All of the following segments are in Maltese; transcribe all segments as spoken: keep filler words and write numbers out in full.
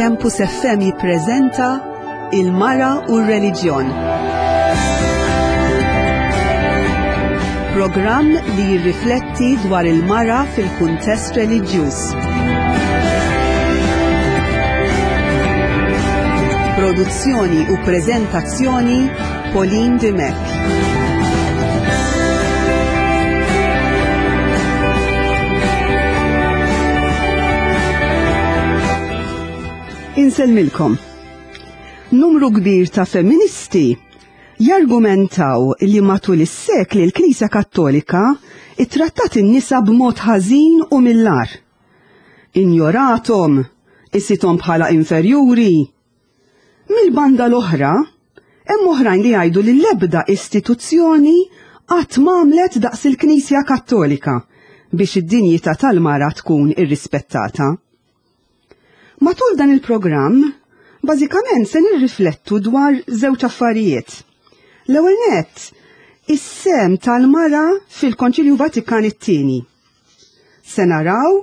Campus F M jippreżenta Il-Mara u r-Reliġjon. Programm li jirrifletti dwar il-mara fil-kuntest reliġjuż. Produzzjoni u preżentazzjoni Pauline Dimech. Insellmilkom. Numru kbir ta' femministi jargumentaw li matul is-sekli l-Knisja Kattolika ittrattat in-nisa b'mod ħażin u mill-agħar. Injorathom, isithom bħala inferjuri. Mill-banda l-oħra, hemm oħrajn li jgħidu li l-ebda istituzzjoni qatt m'għamlet daqs il-Knisja Kattolika biex id-dinjità tal-mara tkun irrispettata. Matul dan il-programm, bażikament se nirriflettu dwar żewġ affarijiet. L-ewwel nett, is-sem tal-mara fil-Konċilju Vatikan it-tieni. Se naraw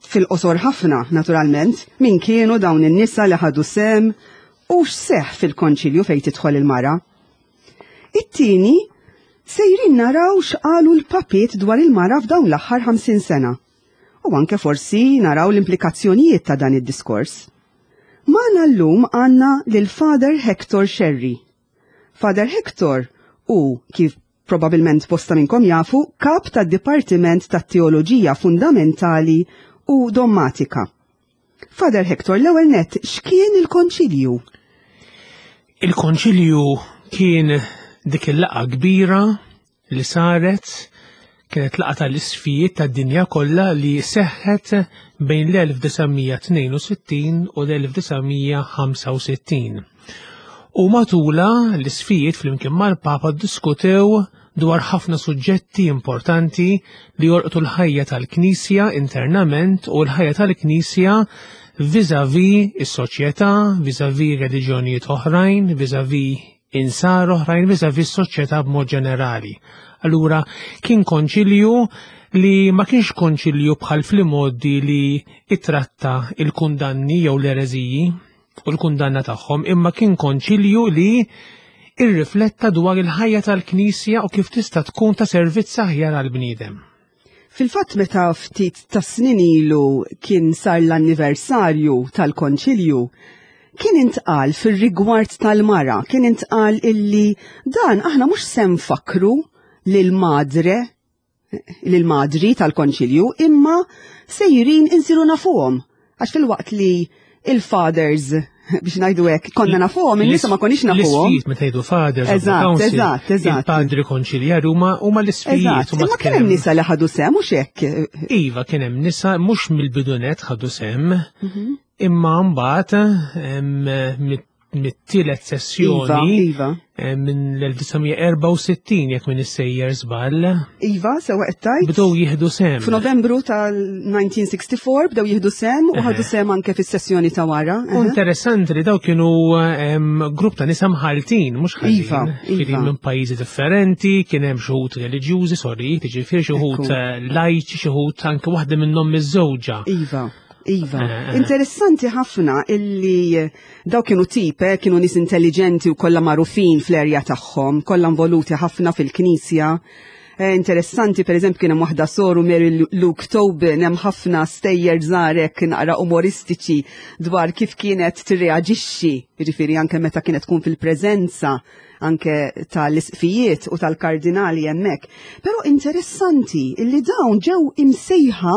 fil-qosor ħafna, naturalment, min kienu dawn in-nisa li ħadu sem u x'seħħ fil-Konċilju fejn tidħol il-mara. It-tieni, sejrin naraw x'qalu l-papiet dwar il-mara f'dawn l-aħħar ħamsin sena. U anke forsi naraw l-implikazzjonijiet ta' dan id-diskors. Magħna llum għandna lil Father Hector Scerri. Father Hector hu, kif probabilment bosta minnkom jafu, kap tad-Dipartiment tat-Teoloġija Fundamentali u Dommatika. Father Hector, l-ewwel nett, x'kien il-Konċilju? Il-Konċilju kien dik il-laqgħa kbira li saret, kienet laqgħa tal-isfijiet tad-dinja kollha li seħħet bejn l-elf disa' mija tnejn u sittin u l-elf disa' mija ħamsa u sittin. U matula l-isfijiet flimkien mal-Papa ddiskutew dwar ħafna suġġetti importanti li jolqtu l-ħajja tal-Knisja internament u l-ħajja tal-Knisja vis-à-vis is-soċjetà, vis-à-vis reliġjonijiet oħrajn, vis-à-vis insar oħrajn, vis-à-vis is-soċjetà b'mod ġenerali. Allura kien konċilju li ma kienx konċilju bħal fl-modi li ittratta il-kundanni jew l-ereżiji u l-kundanna tagħhom, imma kien konċilju li irrifletta dwar il-ħajja tal-Knisja u kif tista' tkun ta' servizz aħjar għall-bniedem. Fil-fatt meta ftit ta' snin ilu kien sar l-anniversarju tal-konċilju, kien intqal fir-rigward tal-mara, kien intqal illi dan aħna mhux se nfakru lil-madre, lil-madri tal-konċilju, imma sejrin insiru nafuhom. Għax fil-waqt li il-fathers, biex ngħidu hekk, konna nafuhom, in-nisa ma konniex nafuhom. L-isfijiet meta jgħidu fathers, Eżatt, council, eżatt, eżatt. Il-padri konċiljari huma, huma l-isfijiet, Eżatt, huma imma kien hemm tkellem. nisa li ħadu sem, mhux hekk? Iva, kien hemm nisa mhux mill-bidunet ħadu sem, Mhm. imma mbagħad, em, mit-, mit-tielet sessjoni, Iva, iva. eh, minn l-elf disa' mija erbgħa u sittin, jekk minn issejjer żball. Iva, sewa qed tgħid. Bdew jieħdu sem. F'Novembru tal-nineteen sixty-four bdew jieħdu sem u ħadu Eħe. sem anke fis-sessjoni ta' wara. U interessanti li daw kienu, em, grupp ta' nisa mħaltin, mhux ħażin. Iva, Ġifieri iva. minn pajjiżi differenti, kien hemm xi wħud reliġjużi, sorry, jiġifieri xi wħud, Ekku. eh, lajċi, xi wħud anke waħda minnhom miż-żewġa. Iva. Iva, Eh, eh. interessanti ħafna illi daw kienu tip, eh, kienu nies intelligenti u kollha magħrufin fl-erja tagħhom, kollha involuti ħafna fil-knisja. Eh, interessanti, per eżempju, kien hemm waħda soru Mary Lu-, Luke Tobin, hemm ħafna stejjer żgħarek naqra umoristiċi dwar kif kienet tirreaġixxi, jiġifieri anke meta kienet tkun fil-preżenza anke tal-isqfijiet u tal-kardinali hemmhekk. Però interessanti illi dawn ġew imsejħa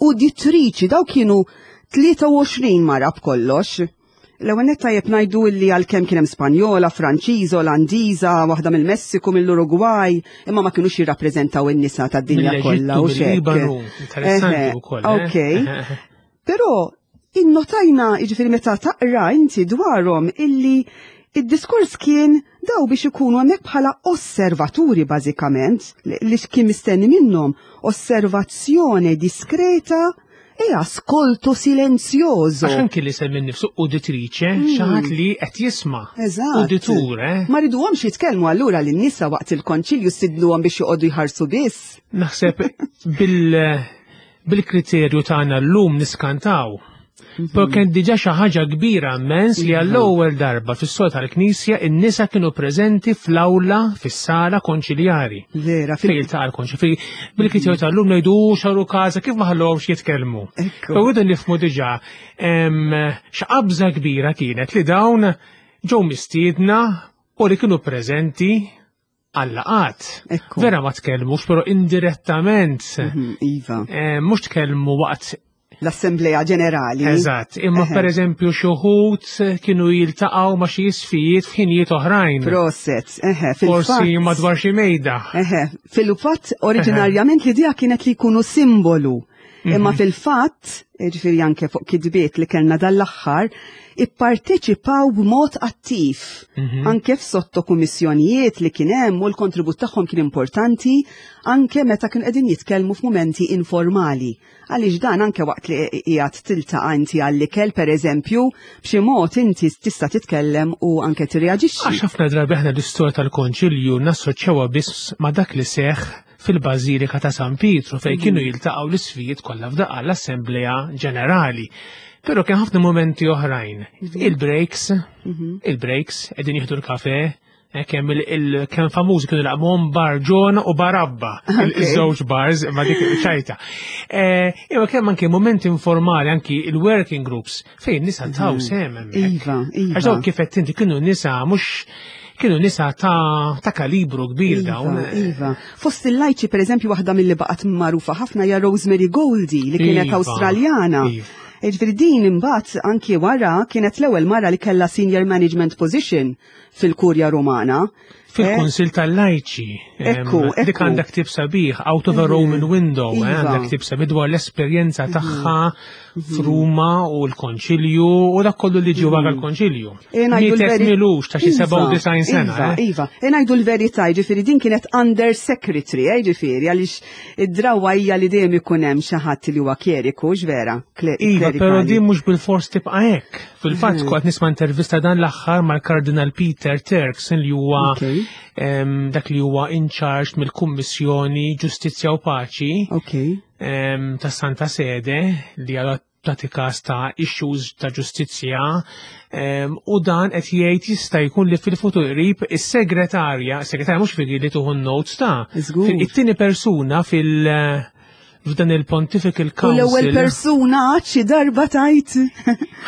uditriċi, daw kienu tlieta u għoxrin mara b'kollox. L-ewwel nett tajjeb ngħidu illi għalkemm kien hemm Spanjola, Franċiża, Olandiża, waħda mill-Messiku, mill-Uruguay, imma ma kinux jirrappreżentaw in-nisa tad-dinja Mill-Eġittu, kollha u x'hekk. mill-Libanu, interessanti Eħe, wkoll, eh? ok. Però innotajna, jiġifieri meta taqra inti dwarhom illi id-diskors kien daw biex ikunu hemmhekk bħala osservaturi bażikament, li, li kien mistenni minnhom osservazzjoni diskreta e ascolto silenzioso. Għax anki li semmi nnifsu uditrice, Mm. xi ħadd li qed jisma'. Eżatt. Uditur, eh? Ma riduhomx jitkellmu allura lin-nisa waqt il-konċilju sidluhom biex joqogħdu jħarsu biss. Naħseb bil-, bil-kriterju tagħna llum niskantaw. Però kien diġà xi ħaġa kbira immens li għall-ewwel darba fis-sol tal-Knisja in-nisa kienu preżenti fl-awla fis-sala konċiljari. Vera, Fejn jiltaqa' l-konċilju. Bil-kriterju tal-lum ngħidu xaru każa kif ma ħallhomx jitkellmu. Ekku. Però rridu nifhmu diġà em, x'qabża kbira kienet li dawn ġew mistiedna u li kienu preżenti għal-laqgħat. Ekku. Vera ma tkellmux, però indirettament Mhm, Iva. eh, mhux tkellmu waqt L-Assemblea Ġenerali. Eżatt, imma Eħe. per eżempju xi wħud kienu jiltaqgħu ma' xi isfijiet f'ħinijiet oħrajn. Proset, eħe, Forsi fil-fatt. madwar xi mejda. Eħe, fil-fatt oriġinarjament l-idea kienet li jkunu simbolu. Imma Mhm. fil-fatt, ġifieri anke fuq kitbiet li kellna dal-aħħar, ipparteċipaw b'mod attiv. Mhm. Anke f'sottokummissjonijiet li kien hemm u l-kontribut tagħhom kien importanti anke meta kienu qegħdin jitkellmu f'mumenti informali. Għaliex dan anke waqt li qiegħed tiltaqa' inti għall-ikel pereżempju, b'xi mod inti tista' titkellem u anke tirreaġixxi. Għax ħafna drabi aħna l-istorja tal-Konċilju nassoċjawha biss ma' dak li seħħ fil-Bażilika ta' San Pietru fejn kienu jiltaqgħu l-isfijiet kollha f'daqqa l-Assemblea Ġenerali. Però kien ħafna momenti oħrajn. Il-breaks, il-breaks, qegħdin jieħdu l-kafe, eh, kemm il- il- kemm famużi kienu laqmuhom Bar Ġona u Barabba, Ok. il-żewġ bars, ma dik ċajta. Eh, Imma kemm anke momenti informali, anki il-working groups, fejn nisa taw sehem hemmhekk. Iva, iva. Għax dawk kif qed inti kienu nisa mhux kienu nisa ta' ta' kalibru kbir dawn. Iva, iva. Fost il-lajċi, per eżempju, waħda mill-li baqgħet magħrufa ħafna hija Rosemary Goldie li kienet Iva, Awstraljana. iva. Ġifieri din imbagħad anki wara kienet l-ewwel mara li kellha senior management position fil-Kurja Romana. Fil-Kunsil tal-Lajċi. em, Ekku, Dik ekku. għandha ktieb sabiħ, Out of a Roman Window, eh, Iva. għandha ktieb sabiħ dwar l-esperjenza tagħha f'Ruma u l-Konċilju u dak kollu li ġie wara l-Konċilju. E ngħidu Mietet l-veri- milux ta' xi Iva, sebgħa u disgħin sena. Iva, eh. iva. E ngħidu l-verità, ġifieri din kienet under secretary, eh, ġifieri, għaliex id-drawa hija li dejjem ikun hemm xi ħadd li huwa kjeriku, x'vera? Iva, klerikali. pero din mhux bil-fors tibqa' hekk. Fil-fatt kont nisma' intervista dan l-aħħar mal-Kardinal Peter Turkson li huwa Ok. em, dak li huwa in charge mill-Kummissjoni Ġustizzja u Paċi Ok. em, ta' Santa Sede li għal tagħti każ ta' issues ta' ġustizzja em, u dan qed jgħid jista' jkun li fil-futur qrib is-segretarja, is-segretarja mhux figi li tieħu notes ta' Żgur. fil- it-tieni persuna fil- f'dan il-Pontifical U l-ewwel Council. persuna għad xi darba tajt.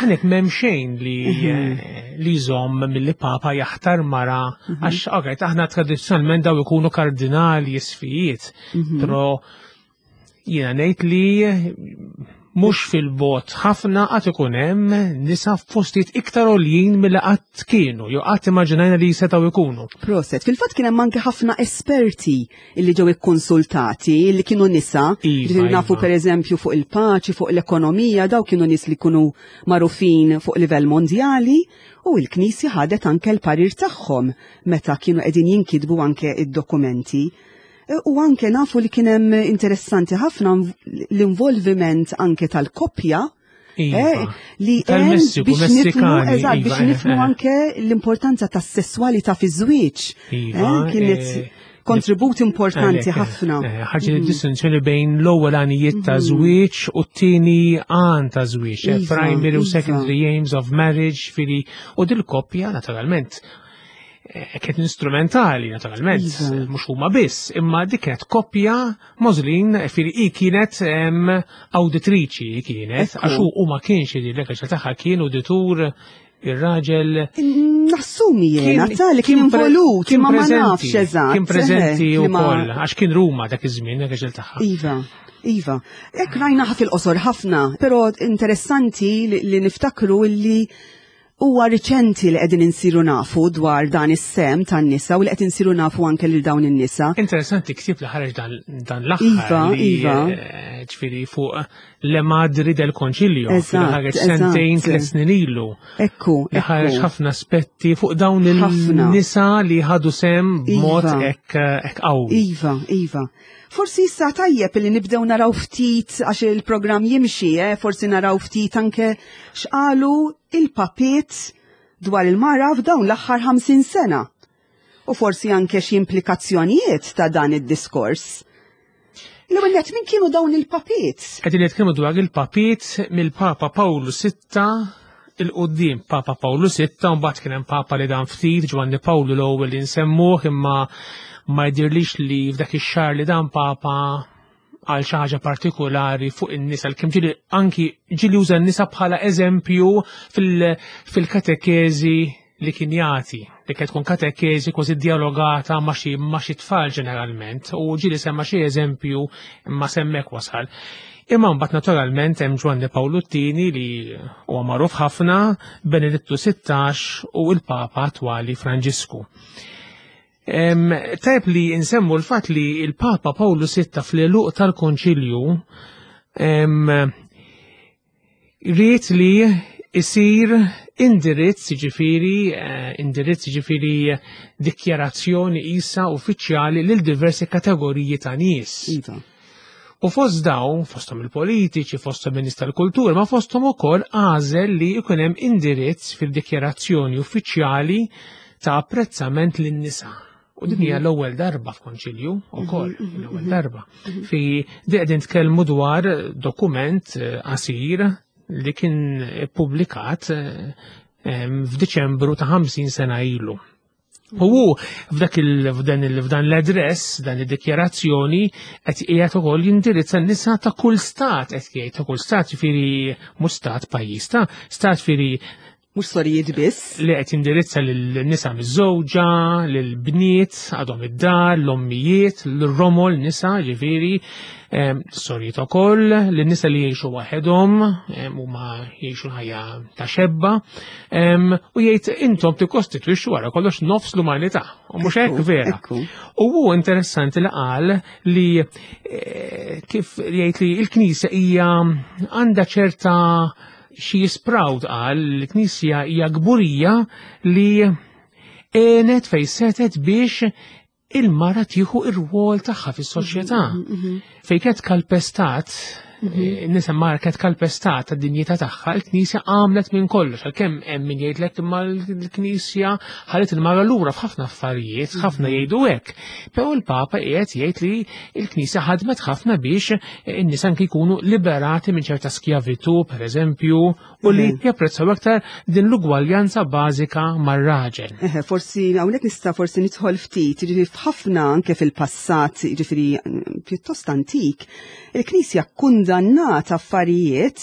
Għanek m'hemm xejn li eh, li jżomm milli papa jaħtar mara għax okay, aħna tradizzjonalment daw ikunu kardinali isfijiet, però jiena ngħid li mhux fil-bogħod ħafna qatt ikun hemm nisa f'postijiet iktar għoljin milli qatt kienu, jew qatt immaġinajna li setgħu jkunu. Proset, fil-fatt kien hemm anke ħafna esperti illi ġew ikkonsultati, illi kienu nisa, Iva, Ġifieri nafu iva. per eżempju fuq il-paċi, fuq l-ekonomija, daw kienu nies li kienu magħrufin fuq livell mondjali u l-Knisja ħadet anke l-parir tagħhom meta kienu qegħdin jinkitbu anke id-dokumenti. E, U anke nafu li kien hemm interessanti ħafna l-involviment anke tal-koppja Iva. eh, li għen Tal-Messiku, biex nifhmu, Messikani, eżatt, iva, biex eh, nifhmu eh. anke l-importanza tas-sesswalità fiż-żwieġ. Iva, Eh, kienet eh, kontribut importanti Għalhekk, ħafna. eh, Ħaġa distinzjoni bejn l-ewwel għanijiet ta' żwieġ u t-tieni għan ta' żwieġ, eh, Iva, primary u iva. secondary aims of marriage, fili u dil-koppja naturalment eh, kienet instrumentali naturalment, Iva. eh, mhux huma biss, imma dik kienet koppja Możlin, fili i kienet em, awditriċi hi kienet, Ekku. għax hu u ma kienx li tagħha kien uditur ir-raġel Nassumi jena, ta' li kien pre- involut, kien ma ma preżenti, nafx eżatt. Kien preżenti eh, u li ma- koll, għax kien Ruma dak iż-żmien, dak iż tagħha. Iva, Iva. Ek rajna fil-qosor ħafna, pero interessanti li, li niftakru li huwa riċenti li qegħdin insiru nafu dwar dan is-sehem tan-nisa u li qed insiru nafu anke lil dawn in-nisa. Interessanti ktib li ħareġ dan, dan l-aħħar Iva, li iva. eh, ġifieri fuq Le Madri del Concilio, Eżatt, li ħareġ sentejn eżatt. tliet snin ilu. Ekku, Li ħareġ ekku. ħafna aspetti fuq dawn Ħafna. il-nisa li ħadu sehem b'mod Iva. hekk hekk qawwi. Iva, Iva. Forsi issa tajjeb li nibdew naraw ftit għax il-programm jimxi, eh? Forsi naraw ftit anke x'qalu il-papiet dwar il-mara f'dawn l-aħħar ħamsin sena. U forsi anke xi implikazzjonijiet ta' dan id-diskors. L-ewwel nett, min kienu dawn il-papiet? Qegħdin nitkellmu dwar il-papiet mill-Papa Pawlu Sitta 'l quddiem. Papa Pawlu Sitta, u mbagħad kien hemm Papa li dan ftit, Ġwanni Pawlu l-ewwel li nsemmuh, imma ma jdirlix li f'dak ix-xahar li dan Papa għal xi ħaġa partikolari fuq in-nisa, kemm ġieli anki ġieli uża n-nisa bħala eżempju fil-katekeżi li kien jagħti, li kienet tkun katekeżi kważi dialogata ma' xi ma' xi tfal ġeneralment, u ġieli semma xi eżempju imma s'hemmhekk wasal. Imma mbagħad naturalment hemm Ġwanni Pawlu t-tieni li huwa magħruf ħafna, Benedittu Sittax u l-Papa attwali Franġisku. Tajb li nsemmu l-fatt li il-Papa Pawlu Sitta fl-għeluq tal-Konċilju ried li isir indirizz, ġifieri, eh, indirizz ġifieri dikjarazzjoni isa uffiċjali lil diversi kategoriji ta' nies. Iva. U fost dawn, fosthom il-politiċi, fosthom in-nies tal-kultura, ma fosthom ukoll għażel li jkun hemm indirizz fil-dikjarazzjoni uffiċjali ta' apprezzament lin-nisa. U din hija l-ewwel darba f'konċilju ukoll, l-ewwel darba. Fi di qegħdin tkellmu dwar dokument eh, qasir li kien ippubblikat eh, em, f'Diċembru ta' ħamsin sena ilu. U hu f'dak il f'dan il f'dan l-address, dan id-dikjarazzjoni qed qiegħed ukoll jindirizza n-nisa ta' kull stat, qed jgħid ta' kull stat, ġifieri mhux stat pajjiż ta' stat ġifieri Mhux sorijiet biss. Li qed jindirizza lil-nisa miż-żewġa, lil-bniet għadhom id-dar, l-ommijiet, l-romol nisa, ġifieri, em, sorijiet ukoll, lin-nisa li jgħixu waħedhom, em, huma jgħixu l-ħajja ta' xebba, em, u jgħid intom tikkostitwixxu wara kollox nofs l-umanità. U mhux hekk Ekku, vera. ekku. U hu interessanti li qal li eh, kif jgħid li l-Knisja hija għandha ċerta she is proud, qal l-Knisja hija kburija li għenet fejn setet biex il-mara tieħu ir-rwol tagħha fis-soċjetà. Fejn kienet kalpestat, nisa mara kienet kalpestat tad-dinjità tagħha, il-Knisja għamlet minn kollox, għalkemm hemm min jgħidlek imma l-Knisja ħallet il-mara lura f'ħafna affarijiet, ħafna jgħidu hekk. Però l-Papa qiegħed jgħid li l-Knisja ħadmet ħafna biex in-nisa anki jkunu liberati minn ċerta skjavitu, per eżempju, u li japprezzaw aktar din l-ugwaljanza bażika mar-raġel. Eħe, forsi hawnhekk nista' forsi nidħol ftit, jiġifieri f'ħafna anke fil-passat, jiġifieri mm, pjuttost antik, il-Knisja kundannat affarijiet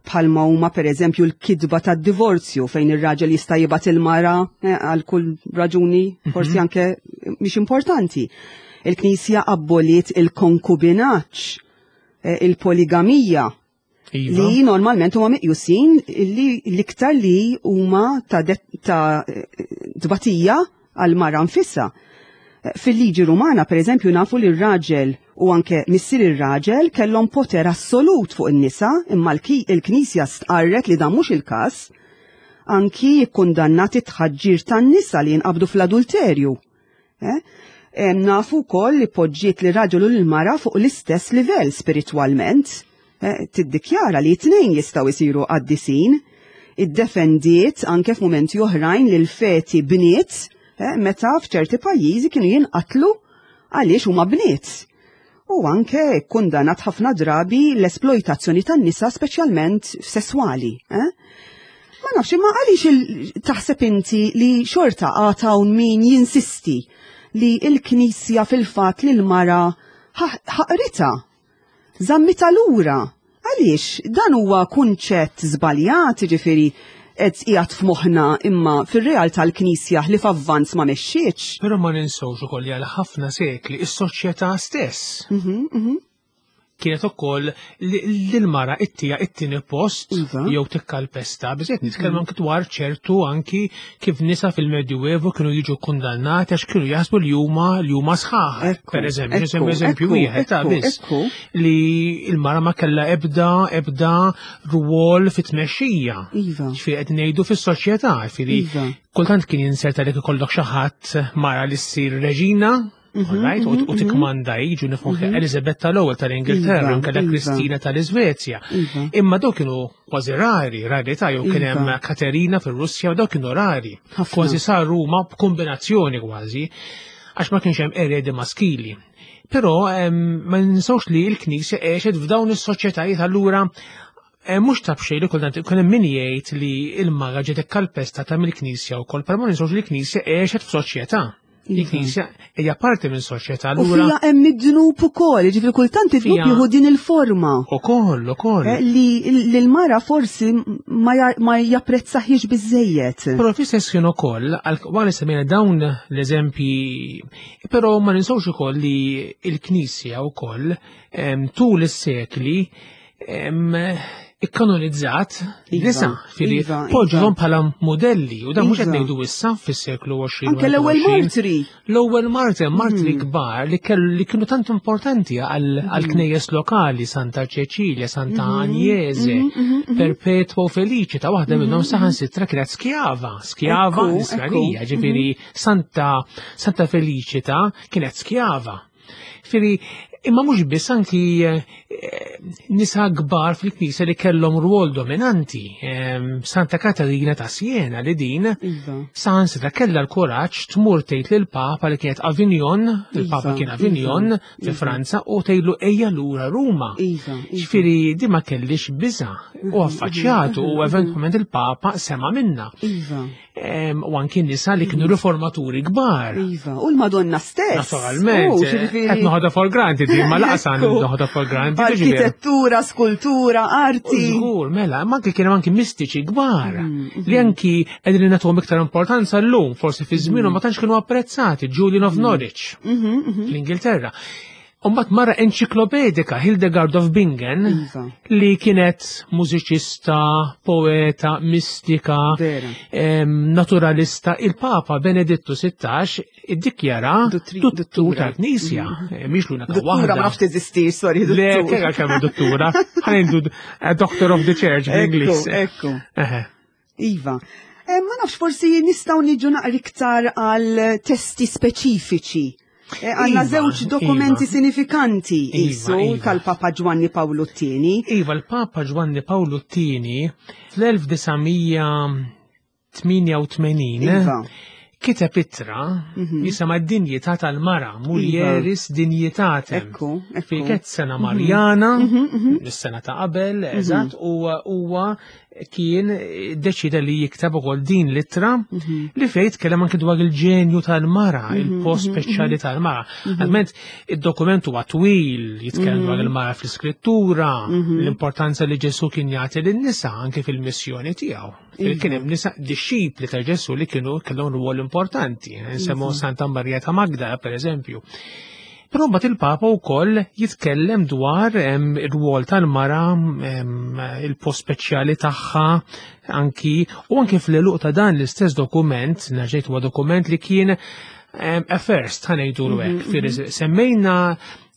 bħalma huma pereżempju l-kidba tad-divorzju fejn ir-raġel jista' jibgħat il-mara eh, għal kull raġuni forsi anke mhix importanti. Il-Knisja abboliet il-konkubinaġġ, eh, il-poligamija, Iva. li normalment huma meqjusin li l-iktar li huma ta' det- ta' tbatija għal mara nfisha. Fil-liġi Rumana, per eżempju, nafu li r-raġel u anke missier ir-raġel kellhom poter assolut fuq in-nisa, imma l-ki- il-Knisja stqarret li dan mhux il-każ, anki kkundannat it-tħaġġir tan-nisa li jinqabdu fl-adulterju. Eh? Em, Nafu wkoll li poġġiet li raġel u l-mara fuq l-istess livell spiritwalment. Eh, Tiddikjara li t-tnejn jistgħu jsiru qaddisin. Iddefendiet anke f'mumenti oħrajn li l-feti bniet eh, meta f'ċerti pajjiżi kienu jinqatlu għaliex huma bniet. U anke kundannat ħafna drabi l-esploitazzjoni tan-nisa speċjalment sesswali. Eh? Ma nafx, imma għaliex il- taħseb inti li xorta għad hawn min jinsisti li il-Knisja fil-fat li l-mara ħaqritha, żammitha lura. Għaliex dan huwa kunċett żbaljat, ġifieri qed qiegħed f'moħħna imma fir-realtà l-Knisja li f'avvanz ma mexxietx. Però ma ninsewx ukoll li għal ħafna sekli is-soċjetà stess Mhm, mhm. kienet ukoll li l-mara ittiha it-tieni post Iva. jew tikkalpesta. Biżejt nitkellmu anki dwar ċertu anki kif nisa fil-Medjuevu kienu jiġu kundannati għax kienu jaħsbu li huma li huma sħaħ. Ekku, Per eżempju, ekku, eżempju eżempju ekku, wieħed ta' ekku, biss ekku. li l-mara ma kellha ebda ebda rwol fit-tmexxija. Iva. Ġifieri qed ngħidu fis-soċjetà, ġifieri Iva. kultant kien jinserta li ikollok xi ħadd mara li ssir reġina, Mhm, alright, u u tikmanda jiġu nifhmu Elizabetta l-ewwel tal-Ingilterra, Iva, u nkella iva. Kristina tal-Iżvezja. Iva. Imma dawk kienu kważi rari, rarità, jew kien hemm Iva. Katerina fir-Russja, u dawk kienu rari. Ħafna. Kważi saru ma b'kombinazzjoni kważi, għax ma kienx hemm eredi maskili. Però ma ninsawx li l-Knisja għexet f'dawn is-soċjetajiet, allura mhux ta' b'xejn li kultant ikun hemm min jgħid li l-mara ġiet ikkalpestata mill-Knisja wkoll, però ma ninsawx li l-Knisja għexet f'soċjetà. Il-Knisja hija parti minn soċjetà. U fija hemm id-dnub ukoll, jiġifieri kultant id-dnub jieħu din il-forma. Ukoll, ukoll. Li l-mara forsi ma japprezzaħiex biżejjed. Però fl-istess ħin ukoll, wara li semmejna dawn l-eżempji, però ma ninsawx ukoll li l-Knisja wkoll tul is-sekli ikkanonizzat nisa, fili poġġhom bħala modelli, u dan mhux qed ngħidu issa fis-seklu għoxrin. Anke l-ewwel martri. L-ewwel martri, martri kbar li kellu li kienu tant importanti għall-knejjes lokali, Santa Ċeċilja, Santa Agnese, Perpetua u Felicita, waħda minnhom saħansitra kienet skjava, skjava Nisranija, ġifieri Santa Santa Felicita kienet skjava. Fili, imma mhux biss, anki nisa kbar fil-Knisja li kellhom rwol dominanti. Santa Katarina ta' Siena li din saħansitra kellha l-kuraġġ tmur tgħid lill-Papa li kienet Avignon, il-Papa kien Avignon fi Franza, u tgħidlu ejja lura Ruma. Ġifieri di ma kellix biża' u affaċċjatu, u eventwalment il-Papa sema' minna. U anki nisa li kienu riformaturi kbar. Iva, u l-Madonna stess. Naturalment, qed noħodha for granted, ma laqsan noħodha for granted. Arkitettura, skultura, arti. Żgur, mela, ma anki kienu anki mistiċi kbar li anki qegħdin nagħtuhom iktar importanza llum, forsi fi żmienhom ma tantx kienu apprezzati, Julian of Norwich fl-Ingilterra. Umbat mara enċiklopedika Hildegard of Bingen li kienet mużiċista, poeta, mistika, naturalista. Il-Papa Benedittu sittax iddikjara duttur tal-Knisja. Mhix l-unika waħda. Duttura ma nafx teżisti, sorry. Le, kera kemm duttura. Ħanejdu Doctor of the Church bl-Ingliż. Ekku, ekku. Iva. Ma nafx, forsi nistgħu niġu naqra iktar għal testi speċifiċi. Għanna żewġ dokumenti sinifikanti isu tal-Papa Ġwanni Pawlu t-tieni. Iva, l-Papa Ġwanni Pawlu t-tieni fl-elf disa' mija tmienja u tmenin kiteb ittra jisimha d-dinjità tal-mara, Mulieris Dignitatem. Fi kienet sena Marjana, is-sena ta' qabel, eżatt, u huwa kien deċida li jikteb ukoll din l-ittra li fejn tkellem anke dwar il-ġenju tal-mara, il-post speċjali tal-mara. Għalment id-dokument huwa twil, jitkellem dwar il-mara fl-iskrittura, l-importanza li Ġesu kien jagħti lin-nisa anke fil-missjoni tiegħu. Kien hemm nisa dixxipli ta' Ġesu li kienu kellhom rwol importanti, nsemmu Santa Marija ta' Magdala pereżempju. Però mbagħad il-Papa wkoll jitkellem dwar ir-rwol tal-mara, il-post speċjali tagħha, anki u anki fl-għeluq ta' dan l-istess dokument, nerġgħid huwa dokument li kien a first, ħanejdu hekk, semmejna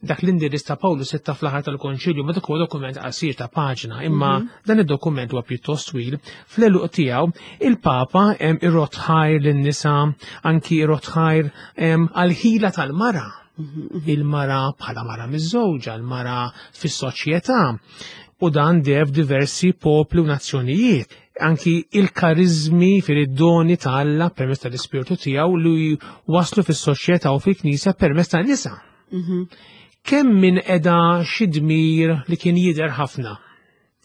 dak l-indirizz ta' Pawlu sitta fl-aħħar tal-Konċilju, ma dak huwa dokument qasir ta' paġna, imma dan id-dokument huwa pjuttost twil. Fl-għeluq tiegħu il-Papa irrot ħajr lin-nisa, anki irrot ħajr għall-ħila tal-mara. Il-mara bħala mara miż-żewġa, il-mara fis-soċjetà, u dan dev diversi popli u nazzjonijiet. Anki il-karizmi fil-doni ta' Alla permezz tal-Ispirtu tiegħu li waslu fis-soċjetà u fil-Knisja permezz tan-nisa. Kemm min qiegħda xi dmir li kien jidher ħafna.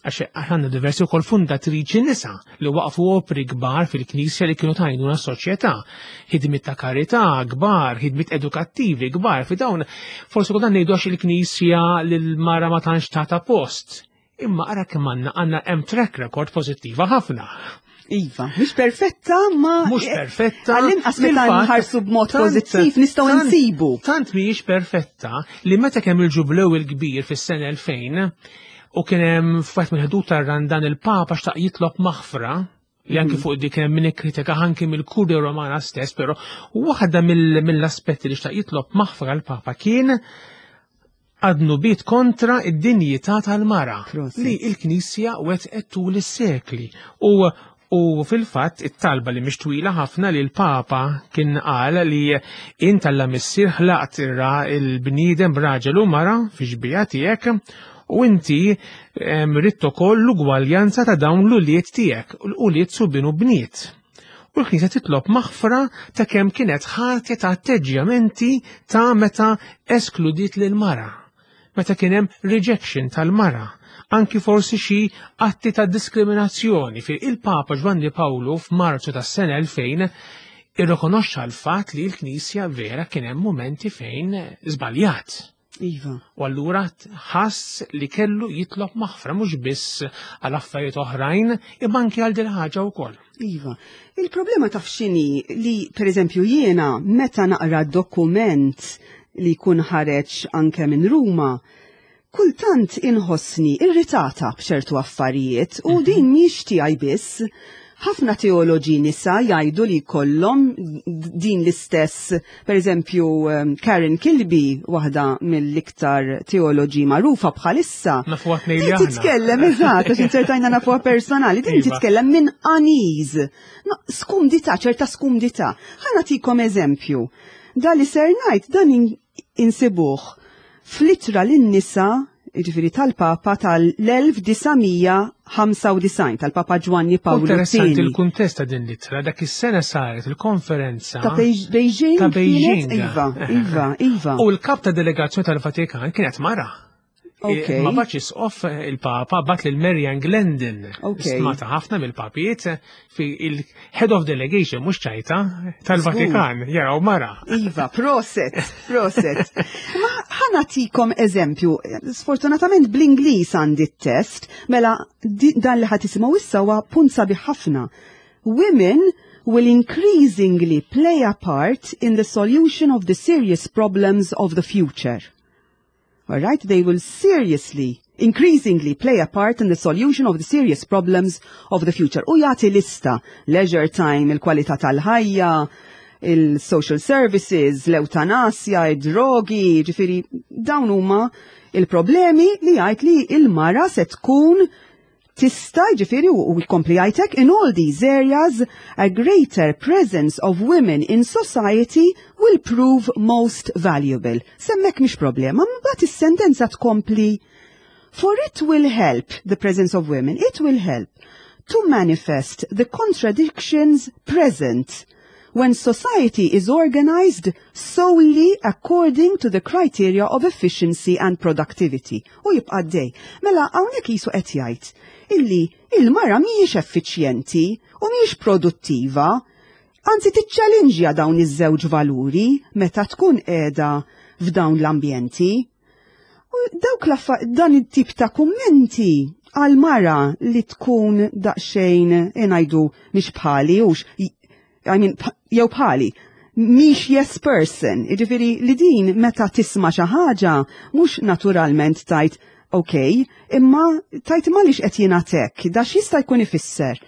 Għax għandna diversi wkoll fundatriċi nisa li waqfu opri kbar fil-Knisja li kienu tajnuna s-soċjetà, ħidmiet ta' karità kbar, ħidmiet edukattivi kbar, fi dawn forsi kultant ngħidu għax il-Knisja lil mara ma tantx tagħta post. Imma ara kemm għandna, għandna hemm track record pożittiva ħafna. Iva, mhix perfetta, ma Mhux perfetta. Għall-inqas meta Fil-fatt, nħarsu b'mod tant- pożittiv nistgħu tant- nsibu. Tant mhijiex perfetta li meta kemm il-ġublew il-kbir fis-sena elfejn u kien hemm f'wieħed mill-ħdud tar-Randan il-Papa xtaq jitlob maħfra li anki fuq dik hemm min ikkritika anki mill-Kurja Romana stess, però waħda mill-, mill-aspetti li xtaq jitlob maħfra l-Papa kien għad-dnubiet kontra id-dinjità tal-mara Proset. li l-Knisja wetqet tul is-sekli. U, u fil-fatt it-talba li mhix twila ħafna li l-Papa kien qal li int Alla Missier ħlaqt ir-ra-, il-bniedem b'raġel u mara fi xbieha tiegħek u inti, em, ridt ukoll l-ugwaljanza ta' dawn l-ulied tiegħek, l-ulied subien u bniet. U l-Knisja titlob maħfra ta' kemm kienet ħatja ta' atteġġjamenti ta' meta eskludiet lil mara, meta kien hemm rejection tal-mara, anki forsi xi atti ta' diskriminazzjoni. Fi il-Papa Ġwanni Pawlu f'Marzu tas-sena elfejn irrikonoxxa l-fatt li l-Knisja vera kien hemm momenti fejn żbaljat. Iva. U allura ħass li kellu jitlob maħfra mhux biss għal affarijiet oħrajn, imma anki għal din ħaġa wkoll. Iva. Il-problema taf x'inhi? Li, per eżempju, jiena meta naqra dokument li jkun ħareġ anke minn Ruma, kultant inħossni irritata b'ċertu affarijiet u mhm. din mhix tiegħi biss. Ħafna teoloġi nisa jgħidu li kollhom din l-istess, per eżempju, um, Karen Kilby, waħda mill-iktar teoloġi magħrufa bħalissa. Titkellem, eżatt, għax inzertajna nafuha personali, din iva. titkellem minn unease. No, skumdità, ċerta skumdità. Ħa nagħtikom eżempju. Da li ser ngħid dan insibuh fl-ittra lin-nisa, ġifieri tal-Papa tal-elf disa' mija ħamsa u disgħin, tal-Papa Ġwanni Pawlu. Interessanti il-kuntest ta' din l-ittra, dak is-sena saret il-konferenza ta' Beijing. Ta' Beijing. Iva, iva, iva. U l-kap ta' delegazzjoni tal-Vatikan kienet mara. Okay. Ma bagħatx isqof il-Papa, bagħat lil Marian Glendon. Okay. Stmata ħafna mill-papijiet fi il-head of delegation, mhux ċajta, tal-Vatikan, jaraw mara. Iva, proset, proset. Ma ħa nagħtikom eżempju, sfortunatament bl-Ingliż għandi t-test, mela dan li ħa tisimgħu issa huwa punt sabiħ ħafna. "Women will increasingly play a part in the solution of the serious problems of the future." All right, they will seriously, increasingly play a part in the solution of the serious problems of the future. U jagħti lista: leisure time, il-kwalità tal-ħajja, il-social services, l-eutanasja, id-drogi, ġifieri dawn huma il-problemi li jgħid li il-mara se tkun tista', ġifieri u jkompli jgħidlek, "In all these areas, a greater presence of women in society will prove most valuable." S'hemmhekk mhix problema, mbagħad is-sentenza tkompli: "For it will help, the presence of women, it will help to manifest the contradictions present when society is organized solely according to the criteria of efficiency and productivity." U jibqa' dej. Mela hawnhekk jisu qed jgħid illi il-mara mhijiex effiċjenti u mhijiex produttiva, anzi tiċċalinġja dawn iż-żewġ valuri meta tkun qiegħda f'dawn l-ambjenti. U dawk dan it-tip ta' kummenti għal mara li tkun daqsxejn, ngħidu, mhix bħali, ux, I mean, jew bħali, mhix yes person, jiġifieri li din meta tisma' xi ħaġa mhux naturalment tgħid ok, imma tgħid għaliex qed jingħatek, da x'jista' jkun ifisser.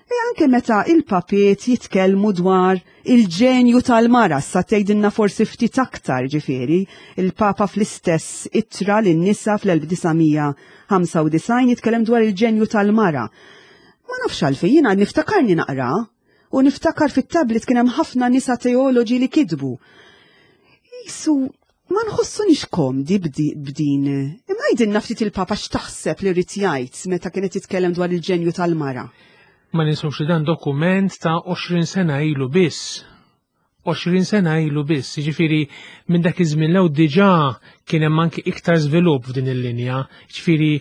E anke meta il-papiet jitkellmu dwar il-ġenju tal-mara, sa tgħidilna forsi ftit aktar. Ġifieri, il-Papa fl-istess ittra lin-nisa fl-elf disa' mija ħamsa u disgħin jitkellem dwar il-ġenju tal-mara. Ma nafx għalfejn jiena niftakarni naqra u niftakar fit-tablet kien hemm ħafna nisa teoloġi li kitbu. Jisu ma nħossunix komdi b'din. Imma jgħidilna ftit il-Papa x'taħseb li rrid jgħid meta kienet jitkellem dwar il-ġenju tal-mara. Ma ninsewx li dan dokument ta' għoxrin sena ilu biss. għoxrin sena ilu biss, ġifieri minn dak iż-żmien 'l hawn diġà kien hemm anki iktar żvilupp f'din il-linja. Ġifieri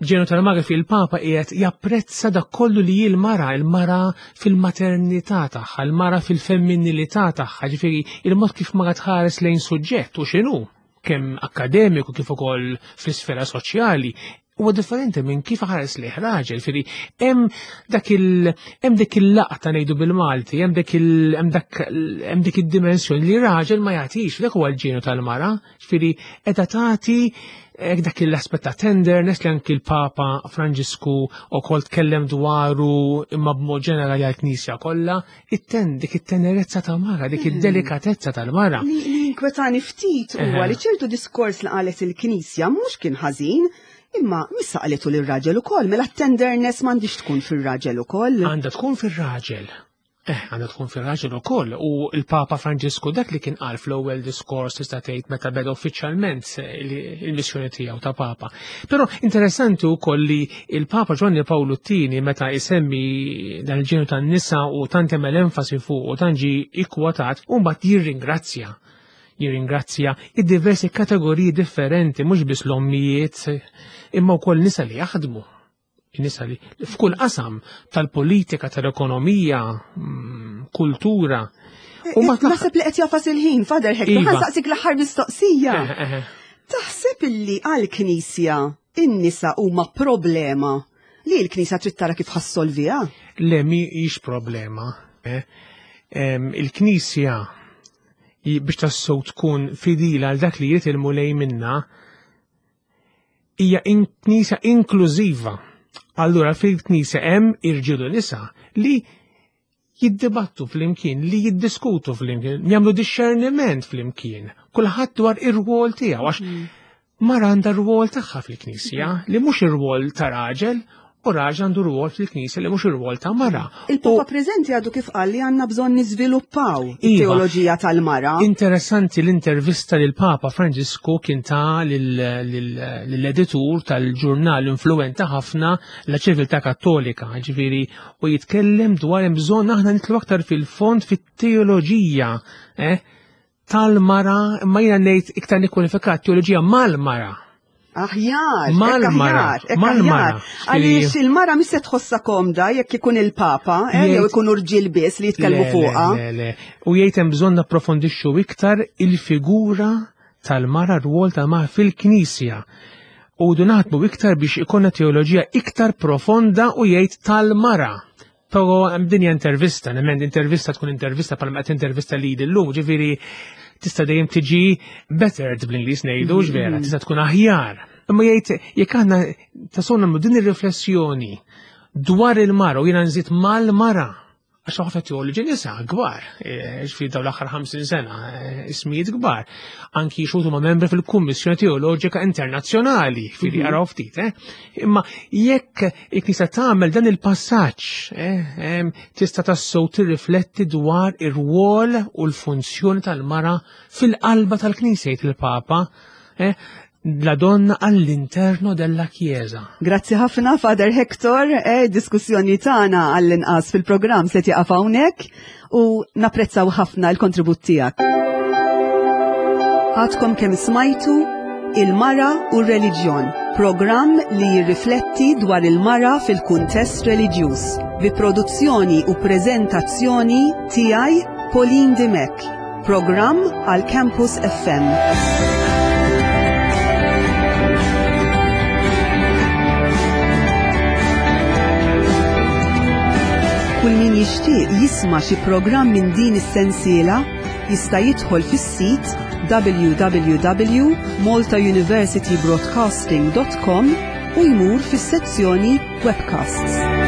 ġenju tal-mara fil-Papa qiegħed japprezza dak kollu li l-mara, il-mara fil-maternità tagħha, il-mara fil-femminilità tagħha, ġifieri il-mod kif mara tħares lejn suġġett u x'inhu kemm akademiku kif ukoll fl-isfera soċjali huwa differenti minn kif ħares li raġel. Ġifieri hemm dak il hemm dik il-laqta, ngħidu bil-Malti, hemm dik il hemm dak hemm dik id-dimensjoni li raġel ma jagħtix, dak huwa l-ġenju tal-mara, ġifieri qiegħda tagħti dak l-aspett ta' tenderness li anki l-Papa Franġisku ukoll tkellem dwaru, imma b'mod ġenerali għall-Knisja kollha, it-ten dik it-tenerezza ta' mara, dik hmm. id-delikatezza tal-mara. Li inkwetani ftit huwa li ċertu diskors li qalet il-Knisja mhux kien ħażin, imma missa qalitu lir-raġel ukoll, mela tenderness m'għandix tkun fir-raġel ukoll. Għandha tkun fir-raġel. Eh, għandha tkun fir-raġel ukoll. U l-Papa Franġisku dak li kien qal fl-ewwel diskors tista' tgħid meta beda uffiċjalment il-missjoni tiegħu ta' Papa. Però interessanti wkoll li il-Papa Ġwanni Pawlu t-tieni meta isemmi dan il-ġenju tan-nisa u tant hemm enfasi fuq u tant ġie ikkwotat, u mbagħad jirringrazzja jirringrazzja id-diversi kategoriji differenti, mhux biss l-ommijiet, imma wkoll nisa li jaħdmu. Nisa li f'kull qasam tal-politika, tal-ekonomija, kultura. U ma naħseb li qed jafas il-ħin, Father Hector, ħa nsaqsik l-aħħar mistoqsija. Taħseb illi għall-Knisja in-nisa huma problema li l-Knisja trid tara kif ħa ssolviha? Le, mhijiex problema. Il-Knisja biex tassew tkun fidila għal dak li jrid il-Mulej minna hija knisja inklużiva. Allura fil-knisja hemm irġiel u nisa li jiddibattu flimkien, li jiddiskutu flimkien, jagħmlu discerniment flimkien, kulħadd dwar ir-rwol tiegħu, għax mara għandha r-rwol tagħha fil-knisja, li mhux ir-rwol ta' raġel, u raġel għandu rwol fil-knisja li mhux ir-rwol ta' mara. Il-Papa preżenti għadu kif qal li għandna bżonn niżviluppaw it-teoloġija tal-mara. Interessanti l-intervista li l-Papa Franġisku kien ta lill-editur tal-ġurnal influenta ħafna La Civiltà Kattolika, ġifieri, u jitkellem dwar hemm bżonn aħna nitlu aktar fil-fond fit-teoloġija, eh, tal-mara, imma jiena ngħid iktar nikkwalifikat teoloġija mal-mara. Aħjar, Mal-mara, aħjar, mal-mara. aħjar. Għaliex il-mara mhix se tħossha komda jekk ikun il-Papa, eh, jew ikun irġiel biss li jitkellmu Le, le, fuqha. le, le. U jgħid hemm bżonn napprofondixxu iktar il-figura tal-mara, r-rwol tal-mara fil-Knisja. U du naħdmu iktar biex ikonna teoloġija iktar profonda u jgħid tal-mara. Però hemm dinja intervista, nemmen intervista tkun intervista bħalma qed intervista li llum, ġifieri tista' dejjem tiġi bettered bl-Ingliż ngħidu, ġvera, tista' tkun aħjar. Imma jgħid jekk aħna tassew nagħmlu din ir-riflessjoni dwar il-mara u jiena nżid mal-mara, għax ħafna teoloġi nisa kbar, eh, ġifieri dawn l-aħħar ħamsin sena, eh, ismijiet kbar, anki xutu ma' membri fil-Kummissjoni Teoloġika Internazzjonali, ġifieri Mhm. araw ftit, eh? Imma jekk il-Knisja tagħmel dan il-passaġġ, eh, em, tista' tassew tirrifletti dwar ir-rwol u l-funzjoni tal-mara fil-qalba tal-Knisja, jgħid il-Papa, eh, la donna all'interno della Chiesa. Grazzi ħafna, Father Hector, eh, diskussjoni tagħna għall-inqas fil-programm se tieqaf hawnhekk u napprezzaw ħafna l-kontribut tiegħek. Għadkom kemm smajtu Il-Mara u r-Reliġjon, programm li jirrifletti dwar il-mara fil-kuntest reliġjuż, bi produzzjoni u preżentazzjoni tiegħi Pauline Dimech, programm għal Campus F M. Kull min jixtieq jisma' xi programm minn din is-sensiela jista' jidħol fis-sit w w w dot malta university broadcasting dot com u jmur fis-sezzjoni Webcasts.